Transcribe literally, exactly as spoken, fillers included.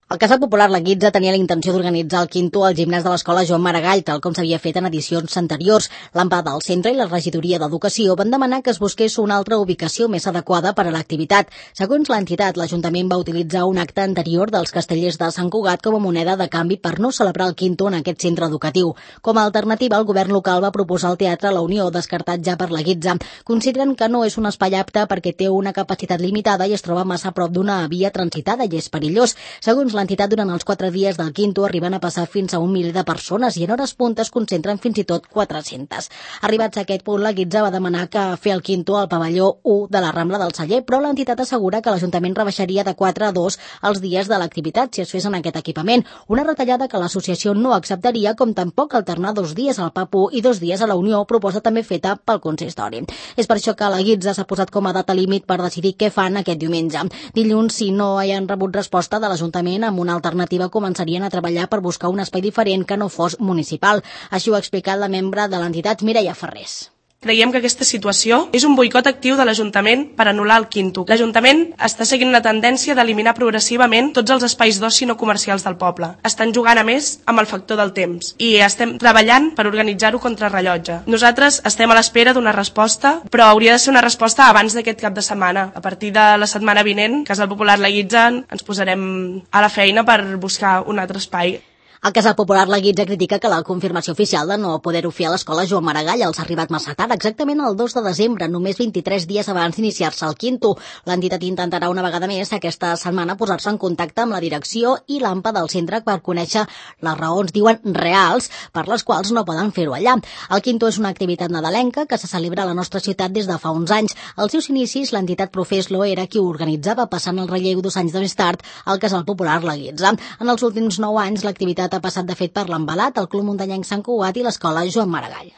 El Casal Popular La Guitza tenia la intenció d'organitzar el quinto al gimnàs de l'escola Joan Maragall, tal com s'havia fet en edicions anteriors. L'Ampa del Centre i la Regidoria d'Educació van demanar que es busqués una altra ubicació més adequada per a l'activitat. Segons l'entitat, l'Ajuntament va utilitzar un acte anterior dels Castellers de Sant Cugat com a moneda de canvi per no celebrar el quinto en aquest centre educatiu. Com a alternativa, el govern local va proposar el Teatre La Unió, descartat ja per La Guitza. Consideren que no és un espai apte perquè té una capacitat limitada i es troba massa a prop d'una via transitada i és perillós. Segons l'entitat, durant els quatre dies del quinto arriben a passar fins a un miler de persones i en hores puntes concentren fins i tot quatre-centes. Arribats a aquest punt, la Guitza va demanar que fer el quinto al pavelló u de la Rambla del Celler, però l'entitat assegura que l'Ajuntament rebaixaria de quatre a dos els dies de l'activitat si es fes en aquest equipament, una retallada que l'associació no acceptaria, com tampoc alternar dos dies al Papu i dos dies a la Unió, proposta també feta pel consistori. És per això que la Guitza s'ha posat com a data límit per decidir què fan aquest diumenge. Dilluns, si no hi han rebut resposta de l'Ajuntament amb una alternativa, començarien a treballar per buscar un espai diferent que no fos municipal. Així ho ha explicat la membre de l'entitat, Mireia Ferrés. Creiem que aquesta situació és un boicot actiu de l'Ajuntament per anul·lar el quinto. L'Ajuntament està seguint una tendència d'eliminar progressivament tots els espais d'oci no comercials del poble. Estan jugant a més amb el factor del temps i estem treballant per organitzar-ho contra rellotge. Nosaltres estem a l'espera d'una resposta, però hauria de ser una resposta abans d'aquest cap de setmana. A partir de la setmana vinent, Casal Popular La Guitza, ens posarem a la feina per buscar un altre espai. El Casal Popular La Guitza critica que la confirmació oficial de no poder-ho fer a l'escola Joan Maragall els ha arribat massa tard, exactament el dos de desembre, només vint-i-tres dies abans d'iniciar-se el quinto. L'entitat intentarà una vegada més aquesta setmana posar-se en contacte amb la direcció i l'Ampa del centre per conèixer les raons, diuen, reals, per les quals no poden fer-ho allà. El quinto és una activitat nadalenca que se celebra a la nostra ciutat des de fa uns anys. Als seus inicis, l'entitat Profeslo era qui ho organitzava, passant el relleu dos anys més tard al Casal Popular La Guitza. En els últims nou anys, l'activitat ha passat de fet per l'Embalat, el Club Muntanyenc Sant Cugat i l'escola Joan Maragall.